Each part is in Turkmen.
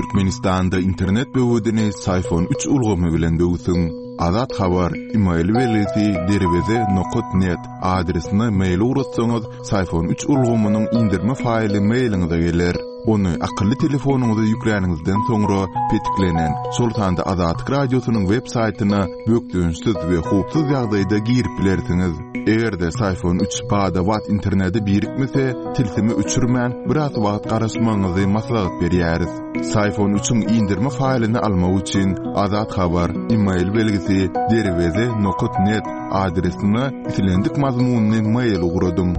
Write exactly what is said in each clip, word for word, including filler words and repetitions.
Türkmenistanda internet böwedini Syfon üç ulgamy bilen böwsüň. Azat Habar, email belgisi derweze nokat net adresine mail ugratsaňyz, Syfon üç ulgamynyň indirme faýly mailiňize geler. Ony akylly telefonyňyza ýükläniňizden soňra petiklenen, şol sanda Azatlyk Radiosynyň web saýtyna bökdençsiz we howpsuz ýagdaýda girip bilersiňiz. Eger-de Syfon üç bada-bat internete birikmese, tilsimi öçürmän, biraz wagt garaşmagyňyzy maslahat berýäris. Syfon üçiň indirme faýlyny almak üçin Azat Habar, email belgisi derweze nokat net adresine islendik mazmunyny mail ugradyň.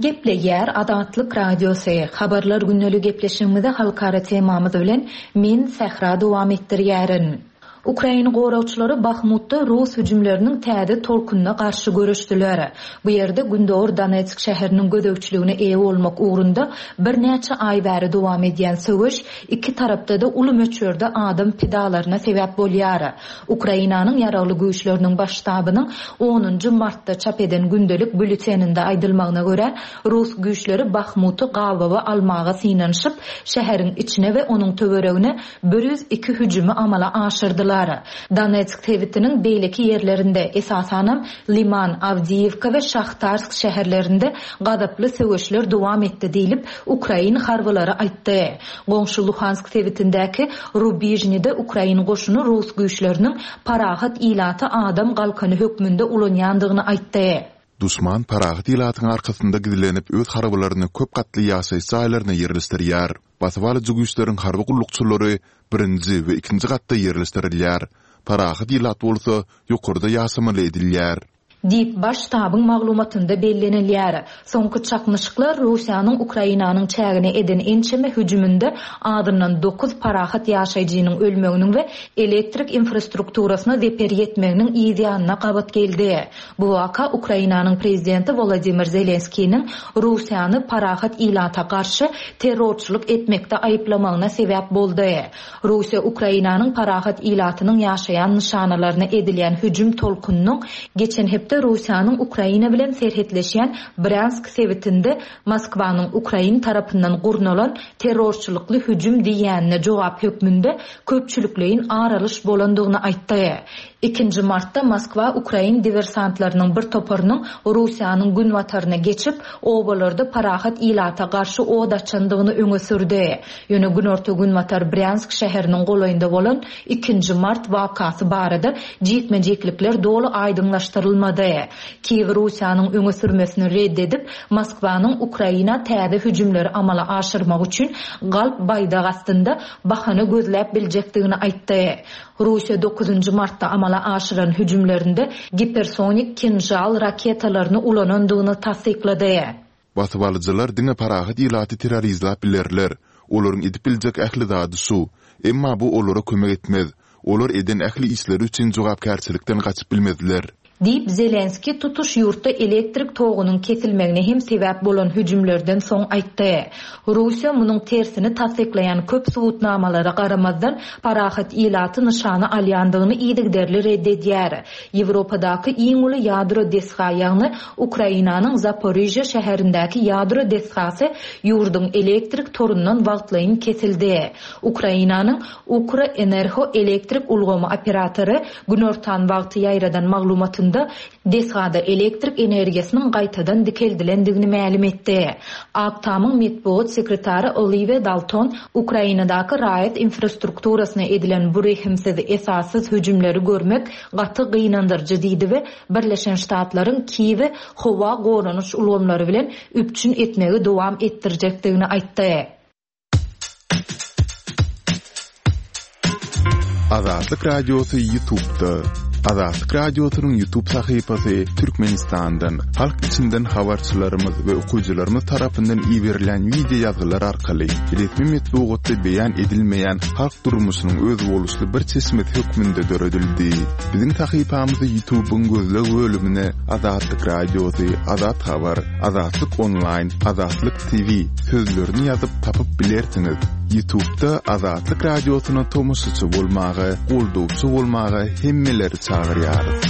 Gepleýär Azatlyk Radiosy. Habarlar gündelik gepleşigimizi halkara temamyz bilen men Sähra dowam etdirýärin. Ukraina goragçylary Bahmutda Rus hüjümleriniň täze tolkunyna garşy göreşdiler. Bu ýerde Gündogar Donetsk şäheriniň gözegçiligine eýe bolmak ugrunda birnäçe aý bäri dowam edýän söweş iki tarapda-da uly möçberde adam pidalaryna sebäp bolýar. Ukrainanyň ýaragly güýçleriniň baş ştabynyň onunjy martda çap eden gündelik bülleteninde aýdylmagyna görä, Rus güýçleri Bahmuty gabawa almaga synanyşyp, şäheriň içine we onuň töweregine bir ýüz iki hüjümi amala aşyrdylar. Donetsk sebitiniň beýleki ýerlerinde, esasanam Liman, Awdiýewka we Şahtarsk şäherlerinde gazaply söweşler dowam etdi diýlip, Ukrain harbylary aýtdy. Goňşy Luhansk sebitindäki Rubižnide Ukrain goşuny Rus güýçleriniň parahat ilaty adam galkany hökmünde ulanýandygyny aýtdy. Duşman parahat ilatyň arkasynda gizlenip öz harbylaryny köp gatly ýaşaýyş jaýlaryna ýerleşdirýär. Basyp alyjy güýçleriň harby gullukçylary birinji we ikinji gatda ýerleşdirilýär. Parahat ilat bolsa ýokarda ýaşamaly edilýär. Diýip, baş ştabyň maglumatynda bellenilýär. Soňky çaknyşyklar Russiýanyň Ukrainanyň çägine eden ençeme hüjüminde azyndan dokuz parahat ýaşaýjynyň ölmeginiň we elektrik infrastrukturasyna zeper ýetmeginiň yz ýanyna gabat geldi. Bu waka Ukrainanyň prezidenti Wolodymyr Zelenskiniň Russiýany parahat ilata garşy terrorçylyk etmekde aýyplamagyna sebäp boldy. Russiýa Ukrainanyň parahat ilatynyň ýaşaýan nyşanalaryna edilýän hüjüm tolkunynyň geçen hepde Russiýanyň Ukraina bilen serhetleşýän Bryansk sebitinde Moskwanyň Ukrain tarapyndan gurnalan terrorçylykly hüjüm diýýänine jogap hökmünde köpçülikleýin aralyş bolandygyny aýtdy. Ikinji martda Moskwa Ukrain diversantlarynyň bir toparynyň Russiýanyň günbataryna geçip, obalarda parahat ilata garşy od açandygyny öňe sürdi. Ýöne günorta-günbatar Bryansk şäheriniň golaýynda bolan ikinji mart wakasy barada jikme-jiklikler doly aýdyňlaşdyrylmady. Kiýew Russiýanyň öňe sürmesini red edip, Moskwanyň Ukraina täze hüjümleri amala aşyrmak üçin galp baýdak astynda bahana gözläp biljekdigini aýtdy. Russiýa dokuzynjy martda amala aşyran hüjümlerinde gipersonik Kinžal raketalaryny ulanandygyny tassyklady. Basyp alyjylar diňe parahat ilaty terrorizläp bilerler. Olaryň edip biljek ähli zady şu. Emma bu olara kömek etmez. Olar eden ähli işleri üçin jogapkärçilikden gaçyp bilmezler. Diýip, Zelenski tutuş ýurtda elektrik togunyň kesilmegine hem sebäp bolan hüjümlerden soň aýtdy. Russiýa munuň tersini tassyklaýan köp subutnamalara garamazdan parahat ilaty nyşana alýandygyny yzygiderli red edýär. Ýewropadaky iň uly ýadro desga, ýagny Ukrainanyň Zaporižýa şäherindäki ýadro desgasy ýurduň elektrik torundan wagtlaýyn kesildi. Ukrainanyň Ukroenergo elektrik ulgamy operatory günortan wagty ýaýradan maglumatynda desgada elektrik energiýasynyň gaýtadan dikeldilendigini mälim etdi. Ak Tamyň metbugat sekretary Oliwiýa Dalton Ukrainadaky raýat infrastrukturasyna edilen bu rehimsiz esassyz hüjümleri görmek gaty gynandyryjy diýdi we Birleşen Ştatlaryň Kiýewi howa goranyş ulgamlary bilen üpjün etmegi dowam etdirjekdigini aýtdy. Azatlyk Radiosy YouTube'da. Azatlyk Radiosynyň YouTube sahypasy Türkmenistandan, halk içinden habarçylarymyz we okyjylarymyz tarapyndan iberilen wideo ýazgylar arkaly resmi metbugatda beýan edilmeýän halk durmuşynyň özboluşly bir çeşmesi hökmünde döredildi. Biziň sahypamyzy YouTube'yň gözleg bölümine Azatlyk Radiosy, Azat Habar, Azatlyk Online, Azatlyk T V sözlerini ýazyp tapyp bilersiňiz. YouTube'da Azatlyk Radiosyna tomaşaçy bolmaga, goldawçy bolmaga hemmeleri çagyrýarys.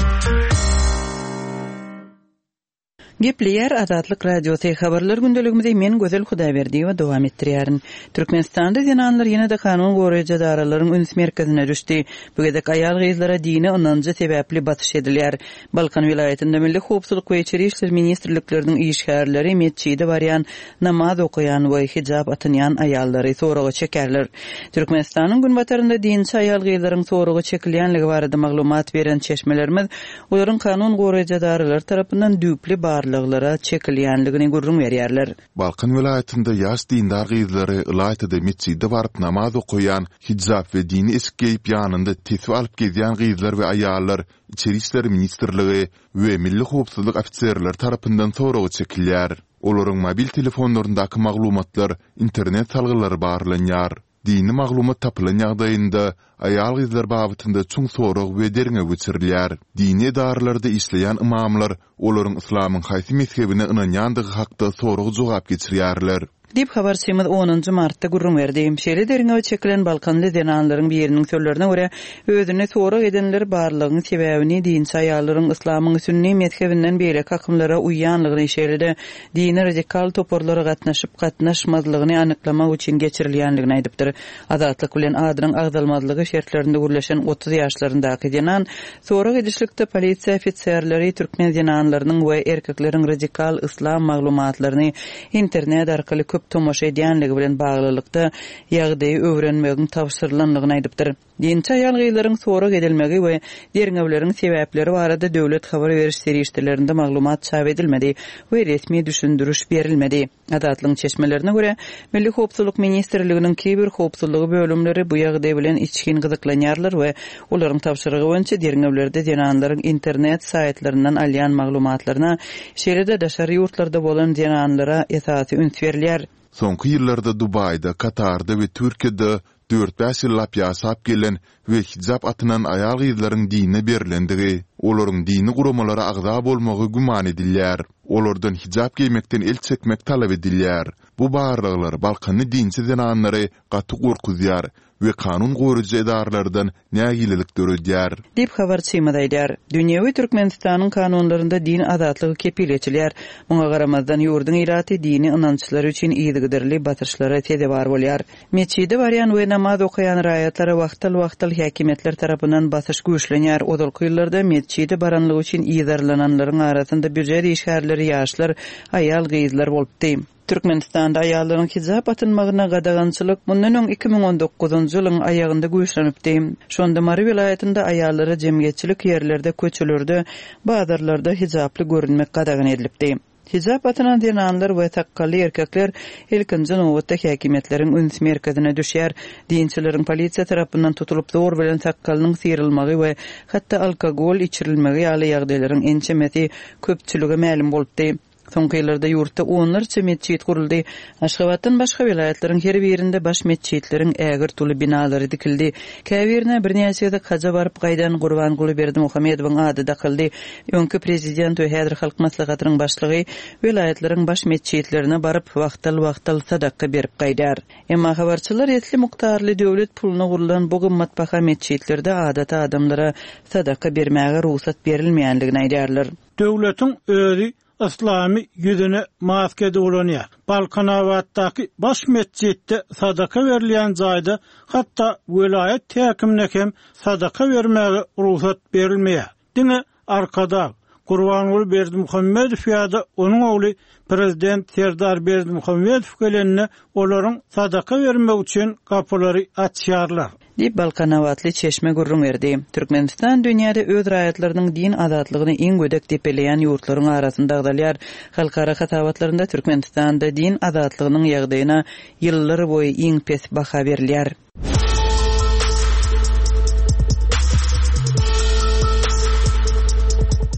Gepleýär Azatlyk Radiosy habarlar gündeligimizi men Gözel Hudaýberdiýewa dowam etdirýärin. Türkmenistanda zenanlar ýene-de kanun goraýjy edaralaryň üns merkezine düşdi. Bu gezek aýal-gyzlara dini ynanjy sebäpli basyş edilýär. Balkan welaýatynda Milli howpsuzlyk we içeri işler ministrlikleriniň işgärleri metjide barýan, namaz okaýan we hijap atynýan aýallary soraga çekerler. Türkmenistanyň günbatarynda dinçi aýal-gyzlaryň soraga çekilýänligi barada maglumat beren çeşmelerimiz olaryň kanun goraýjy edaralary tarapyndan düýpli barlaglara çekilýänligini gürrüň berýärler. Balkan welaýatynda ýaş dindar gyzlary ylaýta-da metjide baryp namaz okaýan, hijap we dini eşik geýip ýanynda tesbi alyp gezýän gyzlar we aýallar Içeri işler ministrligi we Milli howpsuzlyk ofiserleri tarapyndan soraga çekilýär. Olaryň mobil telefonlaryndaky maglumatlar, internet salgylary barlanýar. Dini maglumat tapylan ýagdaýynda, aýal-gyzlar babatynda çuň sorag we derňew geçirilýär. Dini edaralarda işleýän ymamlar olaryň yslamyň haýsy mezhebine ynanýandygy hakda sorag-jogap geçirýärler. Diýip, habarçymyz onunjy martda gürrüň berdi. Şeýle derňewe çekilen balkanly zenanlaryň biriniň sözlerine görä, özüni sorag edenler barlygyň sebäbini dinçi aýallaryň yslamyň sünni mezhebinden beýleki akymlara uýýanlygyny, şeýle-de dini radikal toparlara gatnaşyp-gatnaşmazlygyny anyklamak üçin geçirilýänligini aýdypdyr. Azatlyk bilen adynyň agzalmazlygy şertlerinde gürleşen otuz ýaşlaryndaky zenan sorag edişlikde polisiýa ofiserleri türkmen zenanlarynyň we erkekleriň radikal yslam maglumatlaryny internet arkaly köp tomaşa edýänligi bilen baglylykda ýagdaýy öwrenmegiň tabşyrylanlygyny aýdypdyr. Dinçi aýal-gyzlaryň sorag edilmegi we derňewleriň sebäpleri barada döwlet habar beriş serişdelerinde maglumat çap edilmedi we resmi düşündiriş berilmedi. Azatlygyň çeşmelerine görä, Milli howpsuzlyk ministrliginiň kiber howpsuzlygy bölümleri bu ýagdaý bilen içgin gyzyklanýarlar we olaryň tabşyrygy boýunça derňewlerde zenanlaryň internet saýtlaryndan alýan maglumatlaryna, şeýle-de daşary ýurtlarda bolan zenanlara esasy üns berilýär. Soňky ýyllarda Dubaýda, Katarda we Türkiýede dört-bäş ýyllap ýaşap gelen we hijap atynan aýal-gyzlaryň dine berlendigi, olaryň dini guramalara agza bolmagy güman edilýär. Olardan hijap geýmekden el çekmek talap edilýär. Bu barlaglar balkanly dinçi zenanlary gaty gorkuzýar we kanun goraýjy edaralardan nägilelik döredýär. Diýip, habarçymyz aýdýar. Dünýewi Türkmenistanyň kanunlarynda din azatlygy kepil geçilýär. Muňa garamazdan ýurduň ilaty dini ynançlary üçin yzygiderli basyşlara sezewar bolýar. Metjide barýan we namaz okaýan raýatlara wagtal-wagtal häkimiýetler tarapyndan basyş güýçlenýär. Ozalky ýyllarda metjide baranlygy üçin yzarlananlaryň arasynda býujet işgärleri, ýaşlar, aýal-gyzlar bolupdy. Türkmenistanda aýallaryň hijap atynmagyna gadagançylyk mundan öň iki müň on dokuzynjy ýylyň aýagynda güýçlenipdi. Şonda Mary welaýatynda aýallara jemgyýetçilik ýerlerde, köçelerde, bazarlarda hijaply görünmek gadagan edilipdi. Hijap atynan zenanlar we sakgally erkekler ilkinji nobatda häkimiýetleriň üns merkezine düşýär. Dinçileriň polisiýa tarapyndan tutulyp zor bilen sakgalynyň syrylmagy we hatda alkogol içirilmegi ýaly ýagdaýlaryň ençemesi köpçülige mälim bolupdy. Soňky ýyllarda ýurtda onlarça metjit guruldy. Aşgabatdan başga welaýatlaryň her birinde baş metjitleriň ägirt uly binalary dikildi. Käbirine birnäçe gezek haja baryp gaýdan Gurbanguly Berdimuhamedowyň ady dakyldy. Öňki prezident we häzir Halk Maslahatynyň başlygy welaýatlaryň baş metjitlerine baryp, wagtal-wagtal sadaka berip gaýdar. Emma habarçylar esli mukdarly döwlet puluna gurlan bu gymmatbaha metjitlerde adaty adamlara sadaka bermäge rugsat berilmeýänligini aýdýarlar. Döwletiň özi Islamy ýüzüne maske ulanýar. Balkanabatdaky baş metjitde sadaka berilýän jaýda hatda welaýat häkimine hem sadaka bermäge rugsat berilmeýär. Diňe Arkadag Gurbanguly Berdimuhamedow ýa-da onuň ogly prezident Serdar Berdimuhamedow gelende olaryň sadaka bermek üçin gapylary açýarlar. Diýip, Balkanabatly çeşme gürrüň berdi. Türkmenistan dünýäde öz raýatlarynyň din azatlygyny iň gödek depeleýän ýurtlaryň arasynda agzalýar. Halkara hasabatlarynda Türkmenistanda din azatlygynyň ýagdaýyna ýyllar boýy iň pes baha berilýär.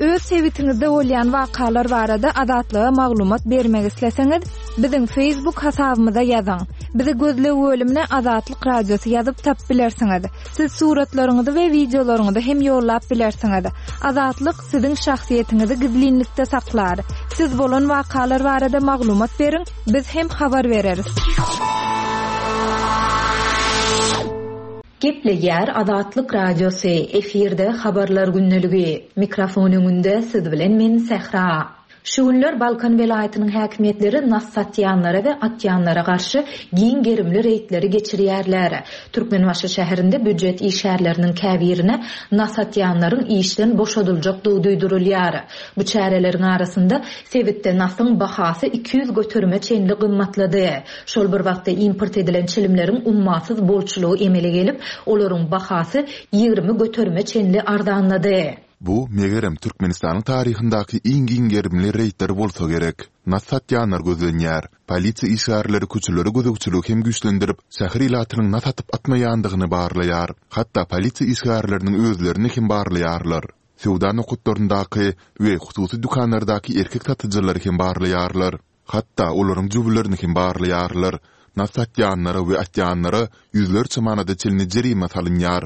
Öz sebitiňizde bolýan wakalar barada Azatlyga maglumat bermek isleseňiz, biziň Facebook hasabymyza ýazyň. Bizi gözleg bölümine Azatlyk Radiosy ýazyp tap bilersiňiz. Siz suratlaryňyzy we wideolaryňyzy hem ýollap bilersiňiz. Azatlyk siziň şahsyýetiňizi gizlinlikde saklar. Siz bolan wakalar barada maglumat beriň, biz hem habar bereris. Gepleýär Azatlyk Radiosy, efirde habarlar gündeligi. Mikrofon öňünde siz bilen men Sähra. Şu günler Balkan welaýatynyň häkimiýetleri nas satýanlara we atýanlara garşy giň gerimli reýdleri geçirýärler. Türkmenbaşy şäherinde býujet işgärleriniň käbirine nas atýanlaryň işden boşadyljakdygy duýdurylýar. Bu çäreleriň arasynda sebitde nasyň bahasy iki ýüz göterime çenli gymmatlady. Şol bir wagtda import edilen çilimleriň ummasyz bolçulygy emele gelip, olaryň bahasy ýigrimi göterime çenli arzanlady. Bu, megerem, Türkmenistanyň taryhyndaky iň giň gerimli reýdler bolsa gerek. Nas satýanlar gözlenýär. Polisiýa işgärleri köçelere gözegçiligi hem güýçlendirip, şäher ilatynyň nas atyp atmaýandygyny barlaýar. Hatda polisiýa işgärleriniň özlerini hem barlaýarlar. Söwda nokatlaryndaky we hususy dükanlardaky erkek satyjylary hem barlaýarlar. Hatda olaryň jübülerini hem barlaýarlar. Nas satýanlara we atýanlara ýüzlerçe manada çenli jerime salynýar.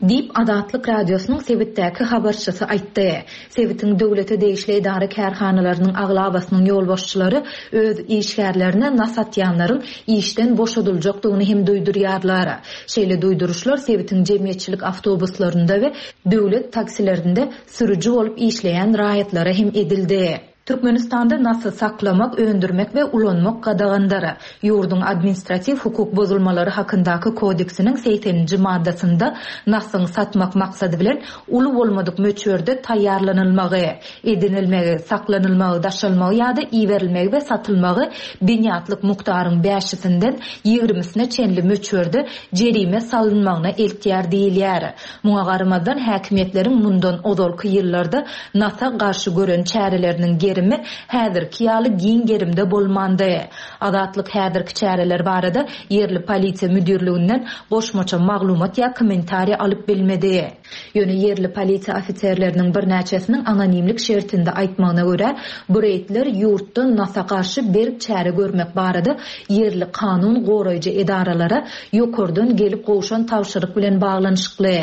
Diýip, Azatlyk Radiosynyň sebitdäki habarçysy aýtdy. Sebitiň döwlete degişli edara-kärhanalarynyň aglabasynyň ýolbaşçylary öz işgärlerine nas atýanlaryň işden boşadyljakdygyny hem duýdurýarlar. Şeýle duýduryşlar sebitiň jemgyýetçilik awtobuslarynda we döwlet taksilerinde sürüji bolup işleýän raýatlara hem edildi. Türkmenistanda nasy saklamak, öndürmek we ulanmak gadagandyr. Ýurduň administratiw hukuk bozulmalary hakyndaky kodeksiniň segseninji maddasynda nasyň satmak maksady bilen uly bolmadyk möçberde taýýarlanylmagy, edinilmegi, saklanylmagy, daşalmagy ýa-da iberilmegi we satylmagy binýatlyk mukdaryň bäşisinden ýigrimisine çenli möçberde jerime salynmagyna eltýär diýilýär. Muňa garamazdan häkimiýetleriň mundan ozalky ýyllarda nasa garşy gören çäreleriniň gerimi häzirki ýaly giň gerimde bolmandy. Azatlyk häzirki çäreler barada ýerli polisiýa müdirliginden goşmaça maglumat ýa kommentariýa alyp bilmedi. Ýöne ýerli polisiýa ofiserleriniň birnäçesiniň anonimlik şertinde aýtmagyna görä, bu reýdler ýurtda nasa garşy berk çäre görmek barada ýerli kanun goraýjy edaralara ýokardan gelip gowşan tabşyryk bilen baglanyşykly.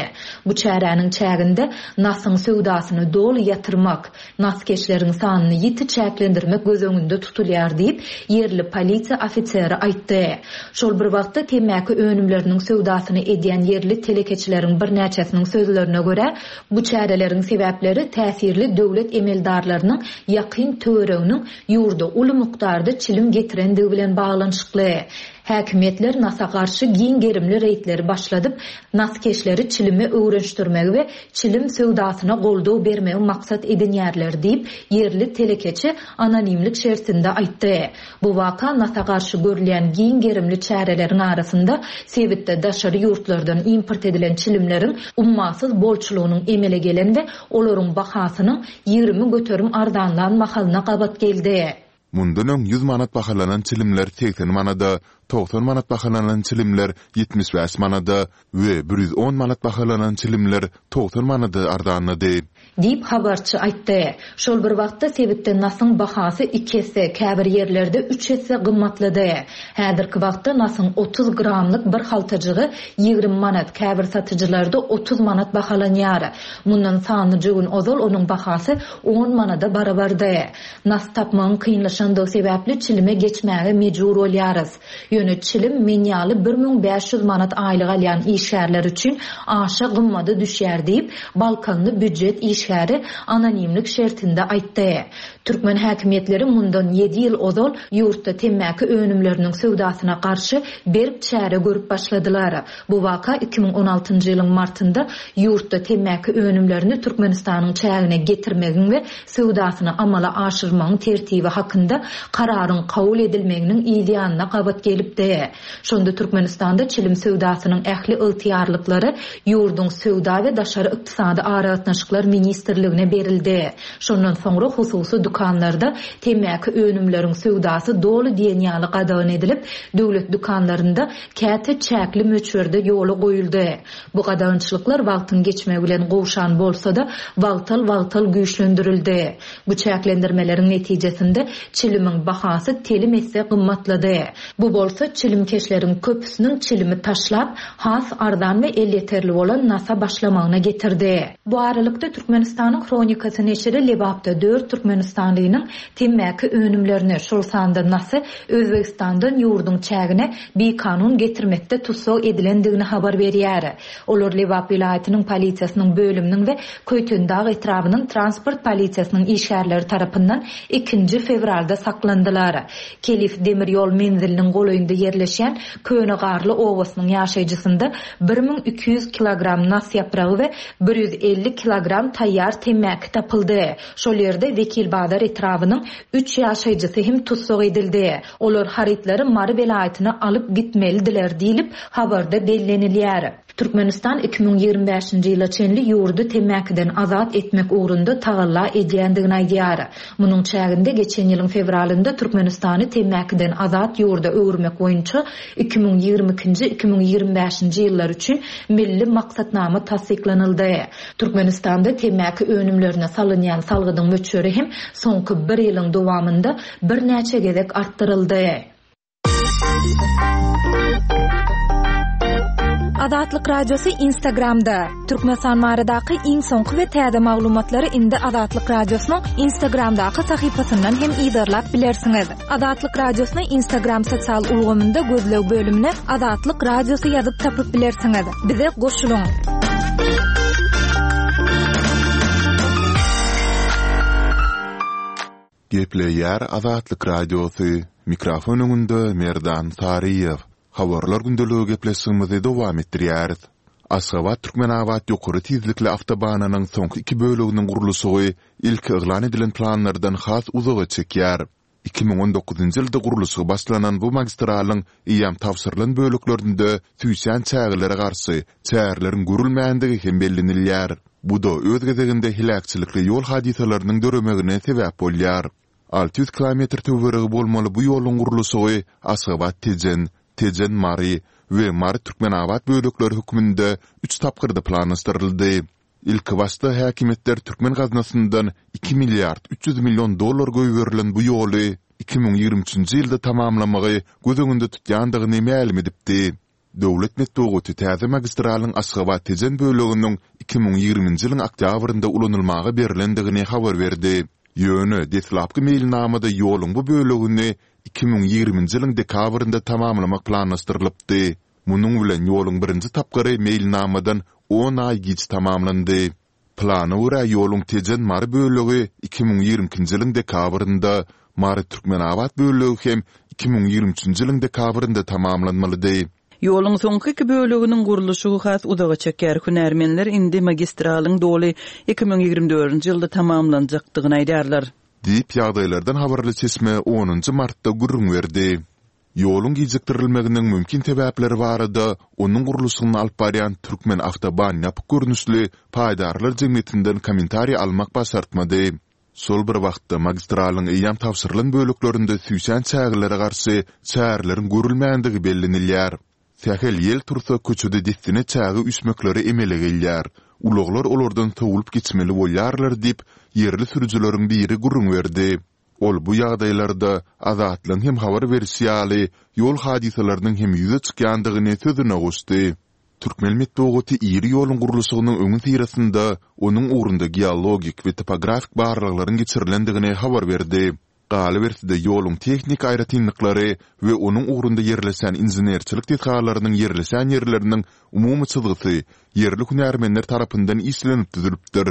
Bu çäräniň çäginde nasyň söwdasyny doly ýatyrmak, naskeşleriň sanyny ýiti çäklendirmek göz öňünde tutulýar diýip, ýerli polisiýa ofiseri aýtdy. Şol bir wagtda temmäki önümleriniň söwdasyny edýän ýerli telekeçileriň birnäçesiniň sözlerine görä, bu çäreleriň sebäpleri täsirli döwlet emeldarlarynyň ýakyn töwereginiň ýurda uly mukdarda çilim getirendigi bilen baglanyşykly. Häkimiýetler nasa garşy giň gerimli reýdleri başladyp, naskeşleri çilime öwrenişdirmegi we çilim söwdasyna goldaw bermegi maksat edinýärler diýip, ýerli telekeçi anonimlik şertinde aýtdy. Bu waka nasa garşy görülýän giň gerimli çäreleriň arasynda sebitde daşary ýurtlardan import edilen çilimleriň ummasyz bolçulygynyň emele gelen we olaryň bahasynyň ýigrimi göterim arzanlan mahalyna gabat geldi. Mundan öň ýüz manat bahalanan çilimler segsen manada, togsan manat bahalanan çilimler ýetmiş bäş manada we bir ýüz on manat bahalanan çilimler togsan manada arzanlady. Diýip habarçy aýtdy. Şol bir wagtda sebitde nasyň bahasy iki esse, käbir ýerlerde üç esse gymmatlady. Häzirki wagtda nasyň otuz gramlyk bir haltajygy ýigrimi manat, käbir satyjylarda otuz manat bahalanýar. Mundan sanlyja gün ozal onuň bahasy on manada barabardy. Nas tapmagyň kynlaşandygy sebäpli çilime geçmäge mejbur bolýarys. Ýöne çilim men ýaly bir müň bäş ýüz manat aýlyk alýan işgärler üçin aşa gymmada düşýär diýip, Balkanly býujet işgäri anonimlik şertinde aýtdy. Türkmen häkimiýetleri mundan ýedi ýyl ozal ýurtda temmäki önümleriniň söwdasyna garşy berk çäre görüp başladylar. Bu waka iki müň on altynjy ýylyň martynda ýurtda temmäki önümlerini Türkmenistanyň çägine getirmegiň we söwdasyny amala aşyrmagyň tertibi hakynda kararyň kabul edilmeginiň yz ýanyna gabat gelipdi. Şonda Türkmenistanda çilim söwdasynyň ähli ygtyýarlyklary ýurduň söwda we daşary ykdysady aragatnaşyklar ministrligine berildi. Şondan soňra hususy dükanlarda temmäki önümleriň söwdasy doly diýen ýaly gadagan edilip, döwlet dükanlarynda käte çäkli möçberde ýola goýuldy. Bu gadagançylyklar wagtyň geçmegi bilen gowşan bolsa-da, wagtal-wagtal güýçlendirildi. Bu çäklendirmeleriň netijesinde çilimiň bahasy telim esse gymmatlady. Bu bolsa çilimkeşleriň köpüsiniň çilimi taşlap, has arzan we elýeterli bolan nasa başlamagyna getirdi. Bu aralykda Türkmenistanyň Türkmenistanyň Hronikasy neşiri Lebapda dört türkmenistanlynyň temmäki önümlerini, şol sanda nasy Özbegistandan ýurduň çägine bikanun getirmekde tussag edilendigini habar berýär. Olar Lebap welaýatynyň polisiýasynyň bölüminiň we Köýtendag etrabynyň transport polisiýasynyň işgärleri tarapyndan ikinji fewralda saklandylar. Kelif demir ýol menziliniň golaýynda ýerleşýän Köne Garly obasynyň ýaşaýjysynda bir müň iki ýüz kilogram nas ýapragy we bir ýüz elli kilogram taýýar temmäki tapyldy. Şol ýerde Wekilbazar etrabynyň üç ýaşaýjysy hem tussag edildi. Olar harytlary Mary welaýatyna alyp gitmelidiler diýlip, habarda bellenilýär. Türkmenistan iki müň ýigrimi bäşinji ýyla çenli ýurdy temmäkiden azat etmek ugrunda tagalla edýändigini aýdýar. Munuň çäginde geçen ýylyň fewralynda Türkmenistany temmäkiden azat ýurda öwürmek boýunça iki müň ýigrimi ikinji, iki müň ýigrimi bäşinji ýyllar üçin milli maksatnama tassyklanyldy. Türkmenistanda temmäki önümlerine salynýan salgydyň möçberi hem soňky bir ýylyň dowamynda birnäçe gezek artdyryldy. Azatlyk Radiosy Instagramda. Türkmenistan baradaky iň soňky we täze maglumatlary indi Azatlyk Radiosynyň Instagramdaky sahypasyndan hem yzarlap bilersiňiz. Azatlyk Radiosyny Instagram sosial ulgamynda gözleg bölümine Azatlyk Radiosy ýazyp tapyp bilersiňiz. Bize goşulyň. Gepleýär Azatlyk Radiosy, mikrofon öňünde Merdan Saryýew. Habarlar gündeligi gepleşigimizi dowam etdirýäris. Aşgabat-Türkmenabat ýokary tizlikli awtobanynyň soňky iki böleginiň gurluşygy ilki yglan edilen planlardan has uzaga çekýär. Iki müň on dokuzynjy ýylda gurluşygy başlanan bu magistralyň eýýäm tabşyrylan böleklerinde süýşýän çägelere garşy çäreleriň görülmändigi hem bellenilýär. Bu-da öz gezeginde heläkçilikli ýol hadysalarynyň döremegine sebäp bolýar. Alty ýüz kilometr töweregi bolmaly bu ýoluň gurluşygy Aşgabat-Tejen, Tejen-Mary we Mary-Türkmenabat bölekleri hökmünde üç tapgyrda planlaşdyryldy. Ilkibaşda häkimiýetler türkmen gaznasyndan iki milliard üç ýüz million dollar goýberilen bu ýoly iki müň ýigrimi üçünji ýylda tamamlamagy göz öňünde tutýandygyny mälim edipdi. Döwlet metbugaty täze magistralyň Aşgabat-Tejen böleginiň iki müň ýigriminji ýylyň oktýabrynda ulanylmaga berlendigini habar berdi. Ýöne deslapky meýilnamada ýoluň bu bölegini iki müň ýigriminji ýylyň dekabrynda tamamlamak planlaşdyrylypdy. Munuň bilen ýoluň birinji tapgyry meýilnamadan on aý giç tamamlandy. Plana görä ýoluň Tejen-Mary bölegi iki müň ýigrimi ikinji ýylyň dekabrynda, Mary-Türkmenabat bölegi hem iki müň ýigrimi üçünji ýylyň dekabrynda tamamlanmalydy. Ýoluň soňky iki böleginiň gurluşygy has uzaga çeker. Hünärmenler indi magistralyň doly iki müň ýigrimi dördünji ýylda tamamlanjakdygyny aýdýarlar. Diýip, ýagdaýlardan habarly çeşme onunjy martda gürrüň berdi. Ýoluň gijikdirilmeginiň mümkin sebäpleri barada onuň gurluşygyny alyp barýan Türkmenawtoban ýapyk görnüşli paýdarlar jemgyýetinden kommentariý almak başartmady. Şol bir wagtda, magistralyň eýýäm tabşyrylan böleklerinde süýşen çägelere garşy çäreleriň görülmändigi bellenilýär. Sähel ýel tursa köçede dessine çäge üýşmekleri emele gelýär. Ulaglar olardan sowulyp geçmeli bolýarlar diýip, ýerli sürüjileriň biri gürrüň berdi. Ol bu ýagdaýlarda, Azatlygyň hem habar berişi ýaly, ýol hadysalarynyň hem ýüze çykýandygyny sözüne goşdy. Türkmen metbugaty iri ýoluň gurluşygynyň öňüsyrasynda onuň ugrunda geologik we topografik barlaglaryň geçirilendigini habar berdi. Galyberse-de, ýoluň tehniki aýratynlyklary we onuň ugrunda ýerleşen inženerçilik desgalarynyň ýerleşen ýerleriniň umumy çyzgysy ýerli hünärmenler tarapyndan işlenip düzülipdir.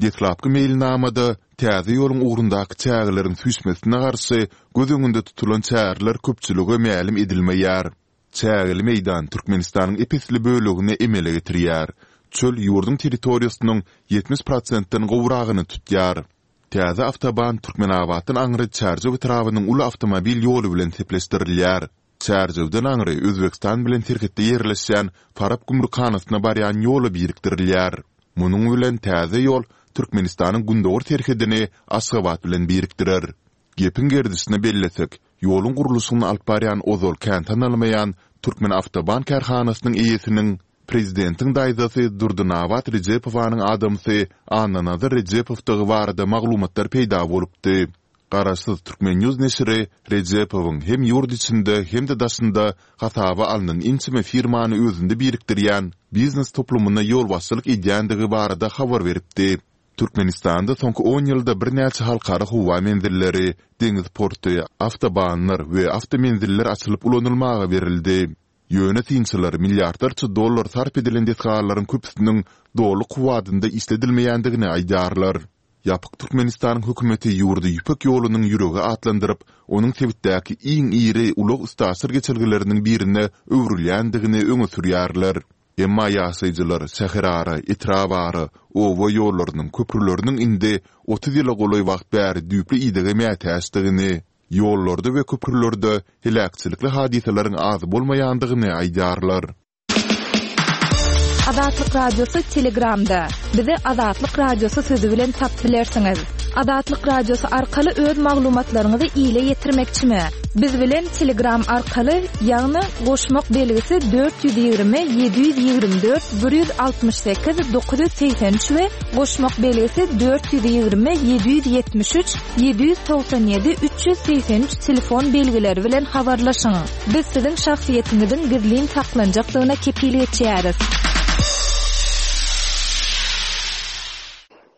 Deslapky meýilnamada täze ýoluň ugrundaky çägeleriň süýşmesine garşy göz öňünde tutulan çäreler köpçülige mälim edilmeýär. Çägeli meýdan Türkmenistanyň ep-esli bölegini emele getirýär. Çöl ýurduň territoriýasynyň ýetmiş prosentden gowragyny tutýar. Täze awtoban Türkmenabatdan aňry Çärjew etrabynyň uly awtomobil ýoly bilen sepleşdirilýär. Çärjewden aňry Özbegistan bilen serhetde ýerleşýän Farap gümrükhanasyna barýan ýola birikdirilýär. Munuň bilen täze ýol Türkmenistanyň gündogar serhedini Aşgabat bilen birikdirer. Gepiň gerdişine bellesek, ýoluň gurluşygyny alyp barýan ozal kän tanalmaýan Türkmenawtoban kärhanasynyň eýesiniň, prezidentiň daýzasy Durdynabat Rejepowanyň adamsy Annanazar Rejepowdygy barada maglumatlar peýda bolupdy. Garaşsyz Turkmen. News neşiri Rejepowyň hem ýurt içinde, hem-de daşynda hasaba alnan ençeme firmany özünde birikdirýän biznes toplumyna ýolbaşçylyk edýändigi barada habar beripdi. Türkmenistanda soňky on ýylda birnäçe halkara howa menzilleri, deňiz porty, awtobanlar we awtomenziller açylyp ulanylmaga berildi. Ýöne synçylar milliardlarça dollar sarp edilen desgalaryň köpüsiniň doly kuwwatynda işledilmeýändigini aýdýarlar. Ýapyk Türkmenistanyň hökümeti ýurdy Ýüpek ýolunyň ýüregi atlandyryp, onuň sebitdäki iň iri ulag-üstaşyr geçelgeleriniň birine öwrülýändigini öňe sürýärler. Emma ýaşaýjylar şäherara, etrabara, oba ýollarynyň, köprüleriniň indi otuz ýyla golaý wagt bäri düýpli idege mätäçdigini, ýollarda we köprülerde heläkçilikli hadysalaryň az bolmaýandygyny aýdýarlar. Azatlyk Radiosy Telegramda. Bizi Azatlyk Radiosy sözi bilen tapyp bilersiňiz. Azatlyk Radiosy arkaly öz maglumatlaryňyzy ile ýetirmekçimi? Biz bilen Telegram arkaly, ýagny goşmak belgisi dört ýüz ýigrimi ýedi ýüz ýigrimi dört bir ýüz altmyş sekiz dokuz ýüz segsen üç we goşmak belgisi dört ýüz ýigrimi ýedi ýüz ýetmiş üç ýedi ýüz togsan ýedi üç ýüz segsen üç telefon belgileri bilen habarlaşyň. Biz siziň şahsyýetiňiziň gizlin saklanjakdygyna kepil geçýäris.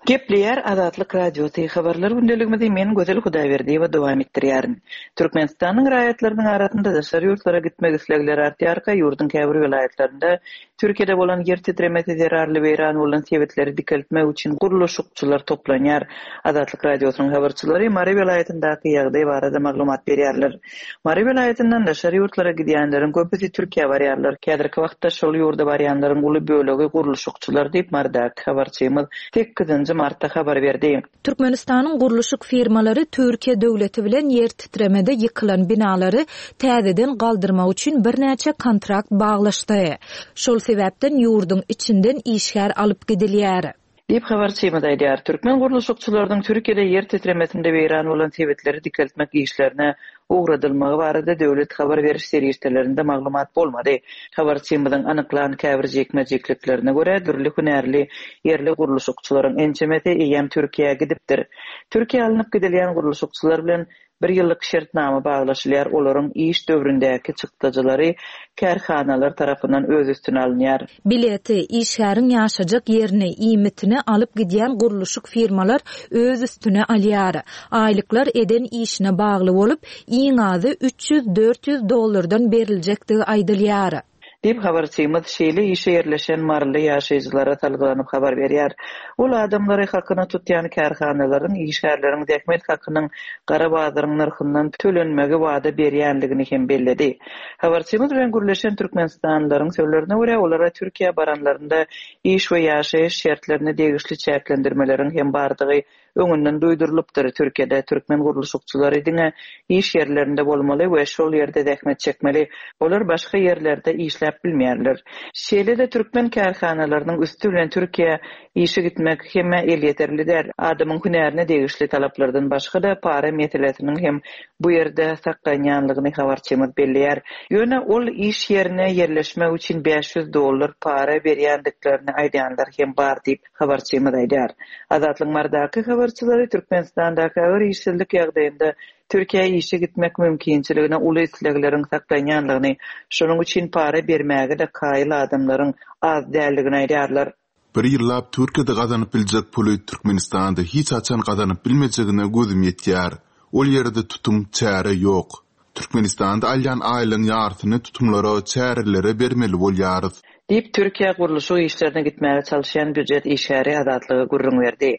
Gepleýär Azatlyk Radiosy, habarlar gündeligimizi men Gözel Hudaýberdiýewa dowam etdirýärin. Türkmenistanyň raýatlarynyň arasynda daşary ýurtlara gitmek islegleri artýarka, ýurduň käbir welaýatlarynda Türkiýede bolan ýer titremesi zerarly weýran bolan sebitleri dikeltmek üçin gurluşykçylar toplanýar. Azatlyk Radiosynyň habarçylary Mary welaýatyndaky ýagdaý barada maglumat berýärler. Mary welaýatyndan daşary ýurtlara gidýänleriň köpüsi Türkiýä barýarlar. Häzirki wagtda şol ýurda barýanlaryň uly bölegi gurluşykçylar diýip, Marydaky habarçymyz sekizinji martda habar berdi. Türkmenistanyň gurluşyk firmalary Türkiýe döwleti bilen ýer titremede ýykylan binalary täzeden galdyrmak üçin birnäçe kontrakt baglaşdy. Şol sebäpden ýurduň içinden işgär alyp gidilýär. Diýip, habarçymyz aýdýar. Türkmen gurluşykçylarynyň Türkiýede ýer titremesinde weýran bolan sebitleri dikeltmek işlerine ugradylmagy barada döwlet habar beriş serişdelerinde maglumat bolmady. Habarçymyzyň anyklan käbir jikme-jikliklerine görä, dürli hünärli ýerli gurluşykçylaryň ençemesi eýýäm Türkiýä gidipdir. Türkiýä alnyp gidilýän gurluşykçylar bilen bir ýyllyk şertnama baglaşylýar, olaryň iş döwründäki çykdajylary kärhanalar tarapyndan öz üstüne alynýar. Bileti, işgäriň ýaşajak ýerini, iýmitini alyp gidýän gurluşyk firmalar öz üstüne alýar. Aýlyklar eden işine bagly bolup, iň azy üç ýüz-dört ýüz dollardan beriljekdigi aýdylýar. Diýip, habarçymyz şeýle işe ýerleşen maryly ýaşaýjylara salgylanyp habar berýär. Ol adamlary hakyna tutýan kärhanalaryň işgärleriň zähmet hakynyň gara bazaryň nyrhyndan tölenmegi wada berýänligini hem belledi. Habarçymyz bilen gürleşen türkmenistanlylaryň sözlerine görä, olara Türkiýä baranlarynda iş we ýaşaýyş şertlerine degişli çäklendirmeleriň hem bardygy öňünden duýdurylypdyr. Türkiýede türkmen gurluşykçylary diňe iş ýerlerinde bolmaly we şol ýerde zähmet çekmeli. Olar başga ýerlerde işläp bilmeýärler. Şeýle-de türkmen kärhanalarynyň üsti bilen Türkiýä işe gitmek hemmä elýeterli däl. Adamyň hünärine degişli talaplardan başga-da para meselesiniň hem bu ýerde saklanýanlygyny habarçymyz belleýär. Ýöne ol iş ýerine ýerleşmek üçin bäş ýüz dollar para berýändiklerini aýdýanlar hem bar diýip, habarçymyz aýdýar. Azatlygyň Marydaky habarçylary Türkmenistandaky agyr işsizlik ýagdaýynda Türkiýä işe gitmek mümkinçiligine uly islegleriň saklanýanlygyny, şonuň üçin para bermäge-de kaýyl adamlaryň az däldigini aýdýarlar. Bir ýyllap Türkiýede gazanyp biljek puly Türkmenistanda hiç haçan gazanyp bilmejegine gözüm ýetýär. Ol ýerde tutum, çäre ýok. Türkmenistanda alýan aýlygyň ýarsyny tutumlara, çärelere bermeli bolýarys. Diýip, Türkiýä gurluşyk işlerine gitmäge çalyşýan býujet işgäri Azatlyga gürrüň berdi.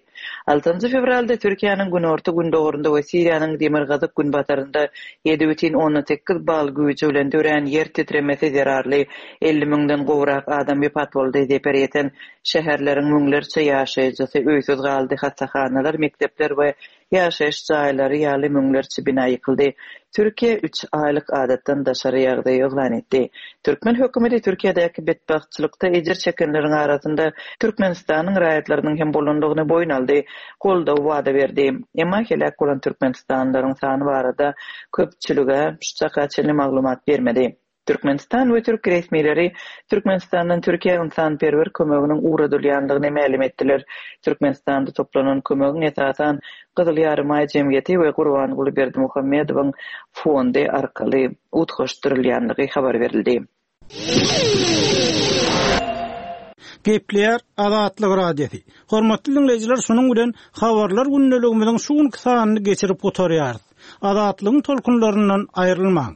Altynjy fewralda Türkiýäniň günorta-gündogarynda we Siriýanyň demirgazyk-günbatarynda ýedi bütin ondan sekiz bal güýji bilen dörän ýer titremesi zerarly elli müňden gowrak adam wepat boldy, zeper ýeten şäherleriň müňlerçe ýaşaýjysy öýsüz galdy, hassahanalar, mekdepler we ýaşaýyş jaýlary ýaly müňlerçe bina ýykyldy. Türkiýe üç aýlyk adatdan daşary ýagdaýy yglan etdi. Türkmen hökümeti Türkiýedäki betbagtçylykda ejir çekenleriň arasynda Türkmenistanyň raýatlarynyň hem bolandygyny boýun aldy, goldaw wada berdi. Emma heläk bolan türkmenistanlylaryň sany barada köpçülige şu çaka çenli maglumat bermedi. Türkmenistan we türk resmileri Türkmenistandan Türkiýä ynsanperwer kömeginiň ugradylýandygyny mälim etdiler. Türkmenistanda toplanan kömegiň esasan Gyzyl Ýarymaý jemgyýeti we Gurbanguly Berdimuhamedowyň fondy arkaly utgaşdyrylýandygy habar berildi. Gepleýär Azatlyk Radiosy. Hormatly diňleýjiler, şunuň bilen habarlar gündeligimiziň şu günki sanyny geçirip gutarýarys. Azatlygyň tolkunlaryndan aýrylmaň.